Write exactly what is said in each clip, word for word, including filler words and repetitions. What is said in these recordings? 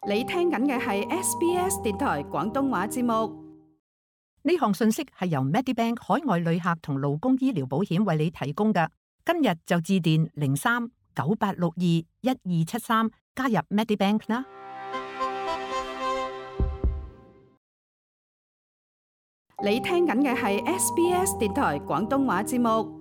你聽緊嘅係 S B S 電台廣東話節目。呢項信息係由 Medibank 海外旅客同勞工醫療保險為你提供嘅。今日就致電零三九八六二一二七三加入 Medibank 啦。你聽緊嘅係 S B S 電台廣東話節目。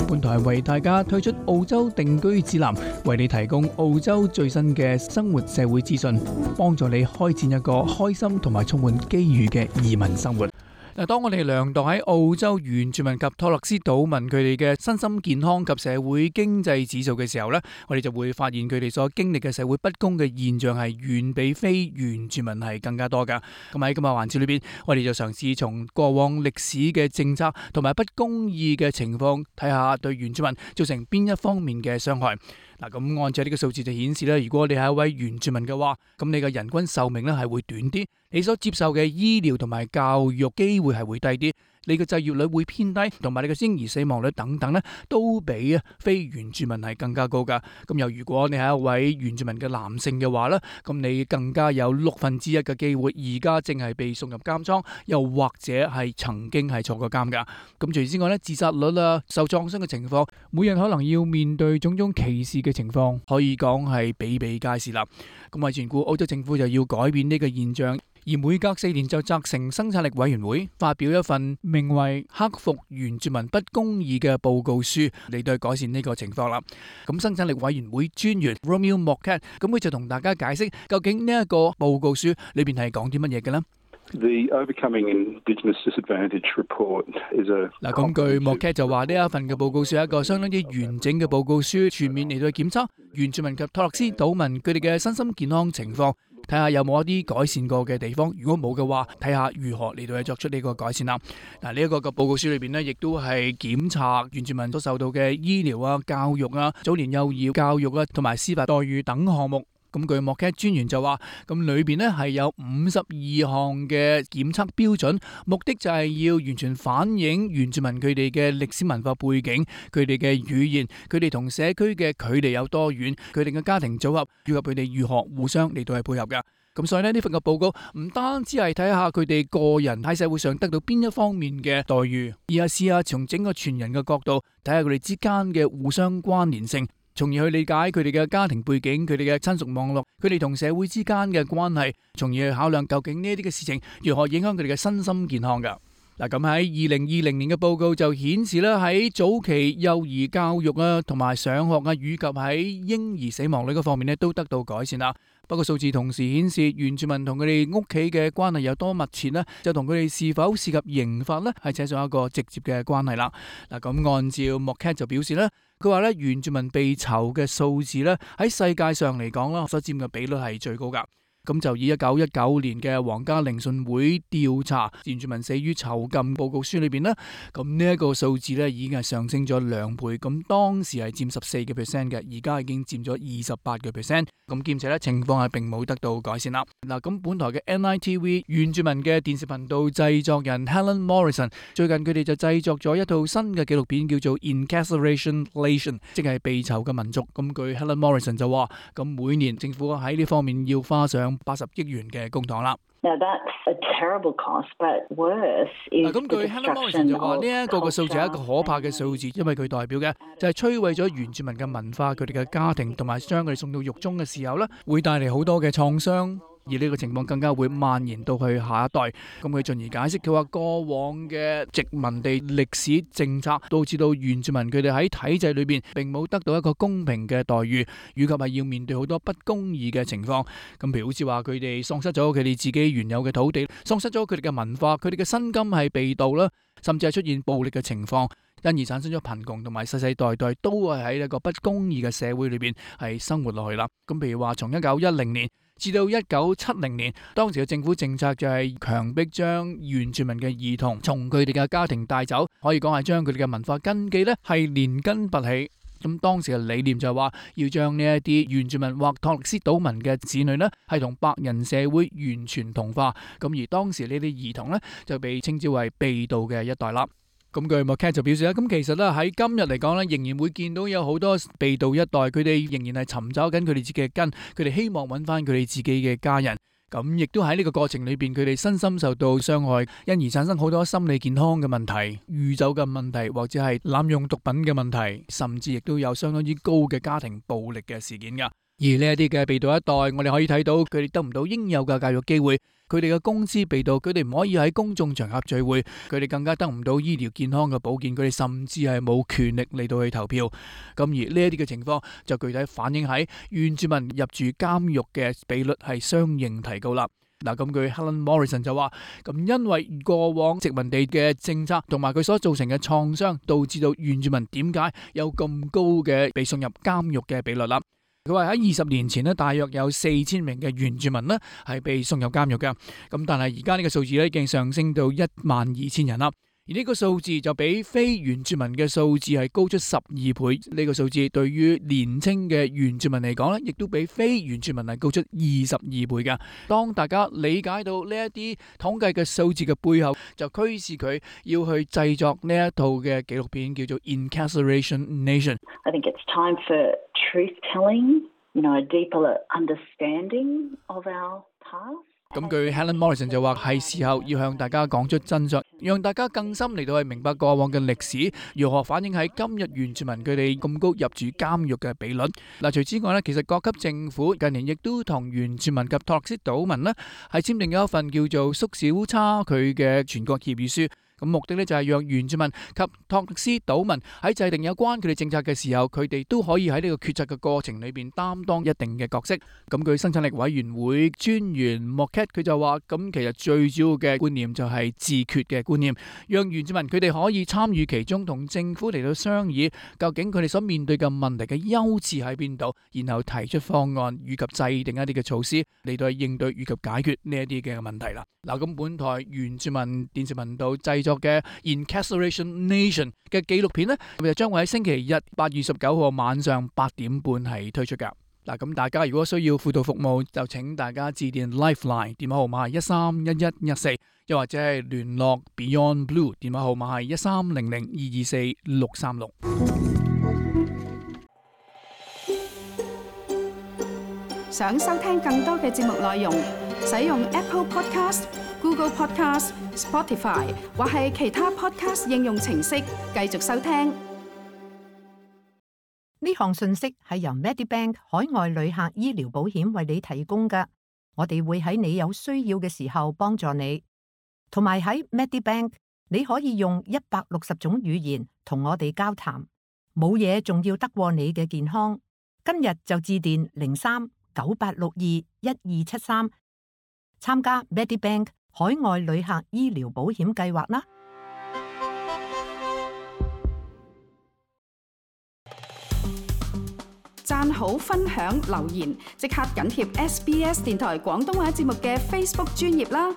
本台為大家推出澳洲定居指南，為你提供澳洲最新嘅生活社會資訊，幫助你開展一個開心同埋充滿機遇嘅移民生活。嗱，當我哋量度喺澳洲原住民及托勒斯島民佢哋嘅身心健康及社會經濟指數嘅時候呢，我哋就會發現佢哋所經歷嘅社會不公嘅現象係遠比非原住民係更加多噶。咁喺今日環節裏邊，我哋就嘗試從過往歷史嘅政策同埋不公義嘅情況，睇下對原住民造成邊一方面嘅傷害。嗱，咁按照呢個數字就顯示咧，如果你係一位原住民嘅話，咁你嘅人均壽命咧係會短啲，你所接受嘅醫療同埋教育機會係會低啲，你嘅就業率會偏低，同埋你嘅嬰兒死亡率等等咧，都比啊非原住民係更加高噶。咁又如果你係一位原住民嘅男性嘅話咧，咁你更加有六分之一嘅機會而家正係被送入監倉，又或者係曾經係坐過監噶。咁除此之外咧，自殺率啊、受創傷嘅情況，每日可能要面對種種歧視嘅情況，可以講係比比皆是啦。咁為全顧澳洲政府就要改變呢個現象。而每隔四年就責成生產力委員會發表一份名為《克服原住民不公義》嘅報告書，嚟到改善呢個情況啦。咁生產力委員會專員 Romeo Morcat 咁佢就同大家解釋，究竟呢一個報告書裏邊係講啲乜嘢嘅呢？ The Overcoming Indigenous Disadvantage Report is a 嗱，咁據 Morcat 就話呢一份嘅報告書係一個相當之完整嘅報告書，全面嚟到檢測原住民及托勒斯島民佢哋嘅身心健康情況，睇下有冇一啲改善過嘅地方，如果冇嘅話，睇下如何嚟到去作出呢個改善啦。嗱，呢一個嘅報告書裏邊呢，亦都係檢查原住民所受到嘅醫療啊、教育啊、早年幼兒教育啊，同埋司法待遇等項目。咁據莫卡專員就話，咁裏邊呢係有五十二項嘅檢測標準，目的就係要完全反映原住民佢哋嘅歷史文化背景、佢哋嘅語言、佢哋同社區嘅距離有多遠、佢哋嘅家庭組合，以及佢哋如何互相嚟到係配合嘅。咁所以呢，呢份嘅報告唔單止係睇下佢哋個人喺社會上得到邊一方面嘅待遇，而係試下從整個全人嘅角度睇下佢哋之間嘅互相關聯性，從而去理解佢哋嘅家庭背景、佢哋嘅親屬網絡、佢哋同社會之間嘅關係，從而去考量究竟呢啲嘅事情如何影響佢哋嘅身心健康㗎。嗱，咁喺二零二零年嘅報告就顯示咧，喺早期幼兒教育啊，同埋上學啊，以及喺嬰兒死亡率嗰方面咧，都得到改善啦。不過數字同時顯示，原住民同佢哋屋企嘅關係有多密切呢，就同佢哋是否涉及刑罰呢，係扯上一個直接嘅關係啦。嗱，咁按照 Morcat 就表示咧，佢話咧，原住民被囚嘅數字咧，喺世界上嚟講啦，所佔嘅比率係最高噶。咁就以一九一九年嘅皇家聆訊會調查原住民死於囚禁報告書裏邊呢，咁呢一個數字咧已經係上升咗兩倍，咁當時係佔十四個 percent 嘅，而家已經佔咗二十八個 percent，咁兼且咧情況係並冇得到改善啦。嗱，咁本台嘅 N I T V 原住民嘅電視頻道製作人 Helen Morrison 最近佢哋就製作咗一套新嘅紀錄片，叫做 Incarceration Nation， 即係被囚嘅民族。咁據 Helen Morrison 就話，咁每年政府喺呢方面要花上八十億元嘅公帑啦。Now that's a terrible cost, but worse is the destruction of 咁據 Helen Morrison 就話呢一個嘅數字係一個可怕嘅數字，因為佢代表嘅就係摧毀咗原住民嘅文化、佢哋嘅家庭，同埋將佢哋送到獄中嘅時候呢，會帶嚟好多嘅創傷。而呢個情況更加會蔓延到去下一代。咁佢進而解釋，佢話過往嘅殖民地歷史政策導致到原住民佢哋喺體制裏邊並冇得到一個公平嘅待遇，以及係要面對好多不公義嘅情況。咁譬如好似話佢哋喪失咗佢哋自己原有嘅土地，喪失咗佢哋嘅文化，佢哋嘅薪金係被盜啦，甚至係出現暴力嘅情況，因而產生咗貧窮，同埋世世代代都係喺一個不公義嘅社會裏邊係生活落去啦。咁譬如話從一九一零年至到一九七零年，當時嘅政府政策就係強迫將原住民嘅兒童從佢哋嘅家庭帶走，可以講係將佢哋嘅文化根基呢係連根拔起。咁當時嘅理念就係話要將呢一啲原住民或托勒斯島民嘅子女呢係同白人社會完全同化。咁而當時呢啲兒童呢就被稱之為被盜嘅一代啦。咁據 Marquette 就表示啦，咁其實咧喺今日嚟講咧，仍然會見到有好多被盜一代，佢哋仍然係尋找緊佢哋自己嘅根，佢哋希望揾翻佢哋自己嘅家人。咁亦都喺呢個過程裏邊，佢哋身心受到傷害，因而產生好多心理健康嘅問題、酗酒嘅問題，或者係濫用毒品嘅問題，甚至亦都有相當之高嘅家庭暴力嘅事件噶。而呢一啲嘅被盜一代，我哋可以睇到佢哋得唔到應有嘅教育機會，佢哋嘅工資被盜，佢哋唔可以喺公眾場合聚會，佢哋更加得唔到醫療健康嘅保健，佢哋甚至係冇權力嚟到去投票。咁而呢一啲嘅情況就具體反映喺原住民入住監獄嘅比率係相應提高啦。嗱，咁據 Helen Morrison 就話，咁因為過往殖民地嘅政策同埋佢所造成嘅創傷，導致到原住民點解有咁高嘅被送入監獄嘅比率啦。佢話喺二十年前咧，大約有四千名嘅原住民咧係被送入監獄嘅，咁但係而家呢個數字咧已經上升到一萬二千人啦。而呢個數字就比非原住民嘅數字係高出十二倍。呢個數字對於年青嘅原住民嚟講咧，亦都比非原住民係高出二十二倍嘅。當大家理解到呢一啲統計嘅數字嘅背後，就驅使佢要去製作呢一套嘅紀錄片，叫做《Incarceration Nation》。I think it's time for truth telling, you know, a deeper understanding of our past. 咁據 Helen Morrison 就話係時候要向大家講出真相，讓大家更深嚟到去明白過往嘅歷史，如何反映喺今日原住民佢哋咁高入住監獄嘅比率。嗱，除此之外咧，其實各級政府近年亦都同原住民及托勒斯島民咧係簽訂咗一份叫做縮小差距嘅全國協議書。咁目的咧就係讓原住民及托勒斯島民喺制定有關佢哋政策嘅時候，佢哋都可以喺呢個決策嘅過程裏邊擔當一定嘅角色。咁據生產力委員會專員 Marquette 佢就話，咁其實最主要嘅觀念就係自決嘅觀念，讓原住民佢哋可以參與其中，同政府嚟到商議究竟佢哋所面對嘅問題嘅優次喺邊度，然後提出方案以及制定一啲嘅措施嚟到應對以及解決呢一啲嘅問題啦。嗱，咁本台原住民電視頻道製作嘅 Incarceration Nation 嘅紀錄片呢，就將會喺星期日八月十九號晚上八點半係推出噶。嗱，咁大家如果需要輔導服務，就請大家致電 Lifeline 電話號碼係一三一一一四，又或者係聯絡 Beyond Blue 電話號碼係一三零零二二四六三六。想收聽更多嘅節目內容，使用 Apple Podcast、Google Podcast、Spotify 或係其他 Podcast 應用程式繼續收聽。呢項信息係由 Medibank 海外旅客醫療保險為你提供嘅，我哋會喺你有需要嘅時候幫助你。同埋喺 Medibank 你可以用一百六十種語言同我哋交談，冇嘢仲要得過你嘅健康。今日就致電零三九八六二一二七三，參加 Medibank 海外旅客醫療保險計劃啦！讚好、分享、留言，即刻緊貼 S B S 電台廣東話節目嘅 Facebook 專頁啦！